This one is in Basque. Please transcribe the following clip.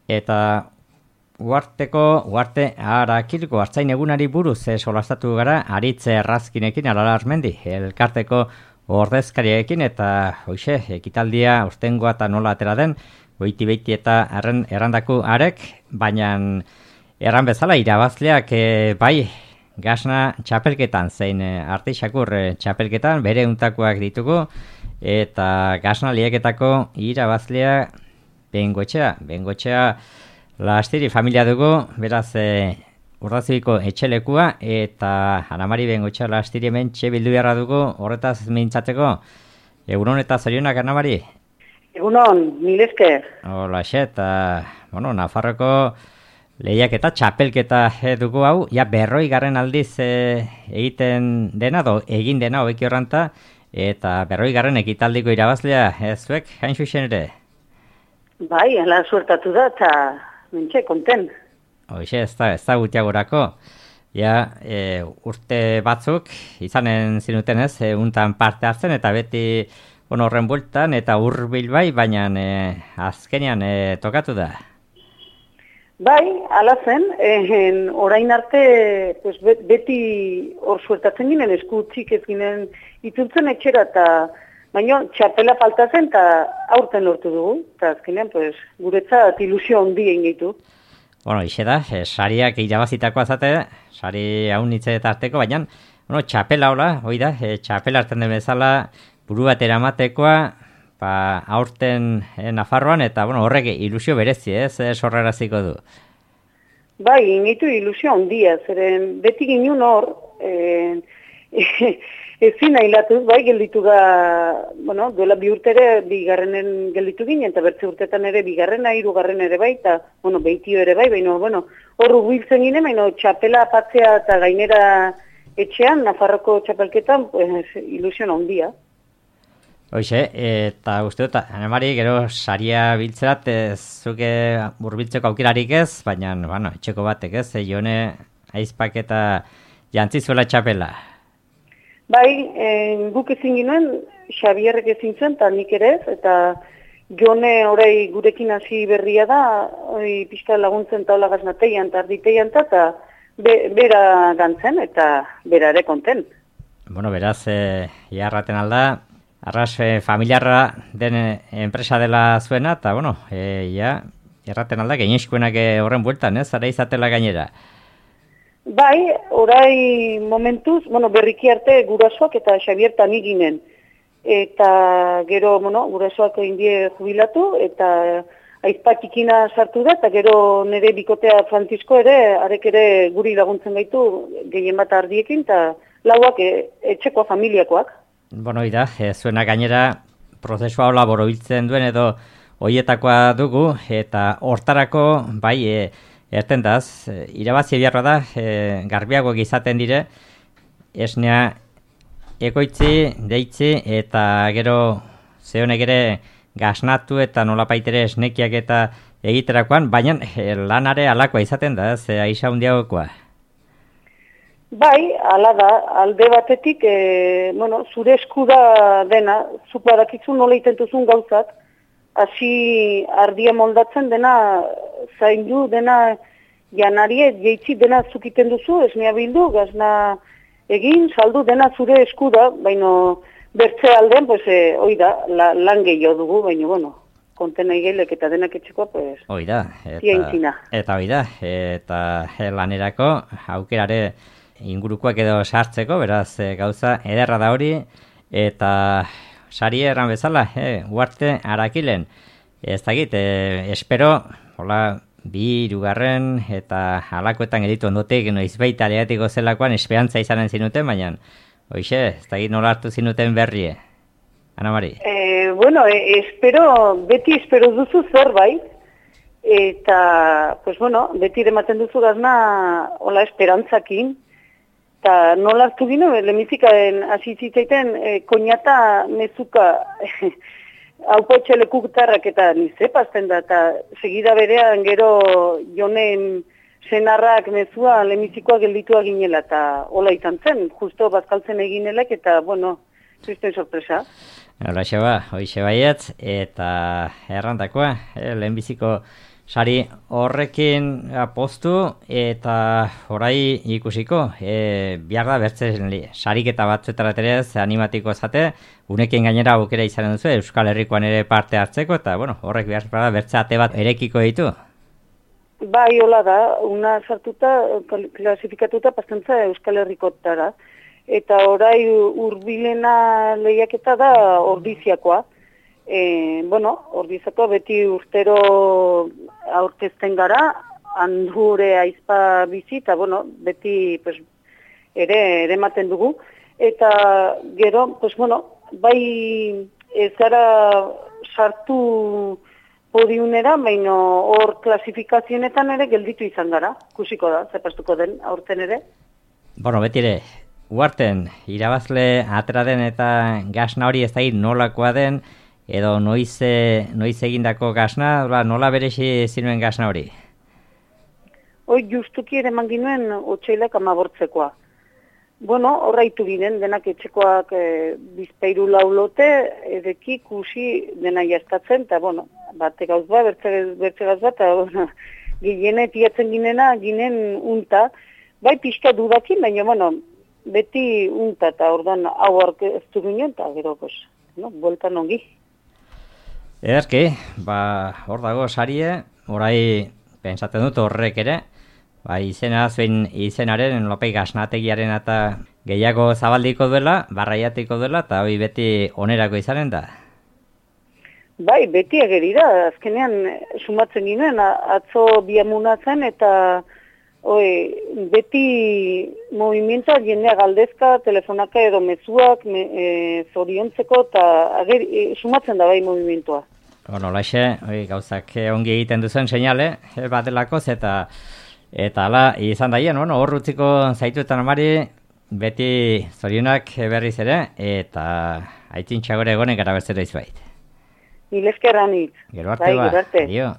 eta Uarte Arakilko Artzain egunari buruz solastatu gara Aritze Errazkinekin Aralarmendi, elkarteko ordezkariekin eta hoxe, ekitaldia urtengoa eta nola atera den, goiti eta errandaku arek, baina erran bezala irabazleak bai gasna txapelketan, zein artixakur txapelketan, bere untakoak ditugu, eta gasna lieketako irabazlea Bengoetxea Lastiri familia dugu, beraz Urdazibiko etxelekua, eta Anamari Bengoetxea Lastiri hemen bildu beharra dugu, horretaz mintzateko. Egunon eta zorionak, Anamari? Egunon, mil esker. Hola, eta, Nafarroko lehiak eta txapelketa dugu hau, ja 40 aldiz egiten dena, egin dena hobeki horranta, eta 40 ekitaldiko irabazlea, zuek, hain zuzen ere? Bai, ala suertatu da, eta mentxe, konten. Hoxe, ez da gutiagorako. Ja, urte batzuk, izanen zinuten ez, untan parte hartzen, eta beti horren bueltan, eta hurbil bai, baina azkenean tokatu da. Bai, ala zen, orain arte pues, beti hor suertatzen ginen, eskutzik ez ginen itzultzen etxera, eta baina txapela falta zen, eta aurten lortu dugu, eta azkenean pues, guretzat ilusio handi egin ditu. Ixe da, sariak irabazitakoa zate, sari haunitze eta arteko, baina txapela hola, hoi da, txapela hartzen den bezala, buru bat eramatekoa, aurten Nafarroan, eta horrek ilusio berezi, sorraraziko du. Bai, initu ilusio handia, zeren beti ginen hor, ezin ailatuz, bai, gelditu da, duela 2 urte ere, bigarrenen gelditu ginen, eta bertze urtetan ere, bigarrena, 3. ere bai, eta, behitio ere bai, baina, hor hubiltzen ginen, baina txapela apatzea eta gainera etxean, Nafarroko txapelketan, pues, ilusio handia. Hoxe, eta uste dut, Anemari, gero saria biltzerat, zuke burbiltzeko aukerarik ez, baina, etxeko batek ez, jone aizpak eta jantzizuela txapela. Bai, guk ezin ginen, Xabierrek ezin zen, eta nik ere ez, eta jone orai gurekin hasi berria da, pixka laguntzen taula gaznateian, eta arditeian, eta bera gantzen, eta bera ere konten. Beraz, jarraten alda, arras familiarra den enpresa dela zuena, eta, jarraten alda, gaineskuenak horren bueltan, zara izatela gainera. Bai, orai momentuz, berriki arte gurasoak eta Xabier eta nik ginen. Eta gero, gurasoak indie jubilatu, eta aizpak ikina sartu da, eta gero nire bikotea Francisco ere, arek ere guri laguntzen gaitu, gehien bat ardiekin, eta lauak etxeko familiakoak. Ida, zuena gainera prozesua hola borobiltzen duen edo hoietakoa dugu, eta hortarako, bai, ertendaz, irabazi beharra da, garbiagoak izaten dire, esnea ekoitzi, deitzi, eta gero zehonek ere gaznatu eta nolapaitere esnekiak eta egiterakoan, baina lanare alakoa izaten da, aiza hundiagokoa. Bai, ala da, alde batetik, zure eskuda dena, zuko adakizu nola itentuzun gauzat, hasi ardia moldatzen dena, zaindu dena janarie, jeitzi dena zukiten duzu, esnea bildu, gazna egin, saldu dena zure eskuda, baina bertze aldean, oida, lan gehiago dugu, baina, konten aigelek eta denak etxeko, oida, eta oida, eta lanerako aukerare ingurukoak edo sartzeko, beraz gauza ederra da hori, eta sari erran bezala, Uarte Arakilen, ez dakit, espero, hola, 2. eta halakoetan editu ondotik, izbaita lehatiko zelakoan, esperantza izanen zinuten, baina, hoxe, ez dakit nola hartu zinuten berrie, Anamari? Beti espero duzu zerbait, eta, beti ematen duzu gazna, hola, esperantzakin, eta nola hartu gino, lemizikaen hasi zitzaiten koñata mezuka haupotxelekutarrak eta nizepazten da, eta segida berean gero jonen senarrak mezua lemizikoa gelditua ginela, eta hola izan zen, justo bazkaltzen eginelek, eta, zizten sorpresa. Hola, hoixe baietz, eta errandakoa, lehenbiziko Sari horrekin postu eta orai ikusiko, behar da bertzen sariketa batzuetara terez animatiko zate, unekin gainera aukera izanen duzu, Euskal Herrikoan ere parte hartzeko, eta horrek behar da bertze ate bat erekiko ditu. Bai, hola da, una sartuta, klasifikatuta pastantza Euskal Herrikotara, eta orai hurbilena lehiaketa da Ordiziakoa. Ordizako beti urtero aurkezten gara, handure aizpa bizi, eta beti ere ematen dugu. Eta gero, bai ez gara sartu podiunera, baina hor klasifikazionetan ere gelditu izan gara. Kusiko da, zepastuko den aurten ere. Beti ere, uarten, irabazle atera den eta gasna hori ez da nolakoa den, edo noiz egindako gasna, nola beresi zinuen gasna hori? Justuki ere manginuen otxailak 15koa. Horraitu ginen, denak etxekoak bizpeiru laulote, edeki kusi dena jaztatzen, eta bate gauz bat, bertze gauz bat, eta gilene tiatzen ginen unta, bai pixka dudakin, baina beti unta, eta ordan hau arkeztu ginen, eta gero, boltan ongi. Ederki, hor dago sarie, orai pentsatzen dut horrek ere, izenaren lopei gasnategiaren eta gehiago zabaldiko duela, barraiatiko duela, eta hori beti onerako izanen da. Bai, beti ageri da, azkenean sumatzen ginen, atzo biamunatzen eta beti movimientoa jendea galdezka, telefonaka edo mezuak, zoriontzeko, eta sumatzen da bai movimientoa. Olaxe, gauzak ongi egiten duzen seinale, bat delakoz, eta ala izan daien, hor utziko zaituetan amari, beti zorionak berriz ere, eta aitzintxagore egonen gara berzera izbait. Milezkerran hitz. Gero arte ba, adio.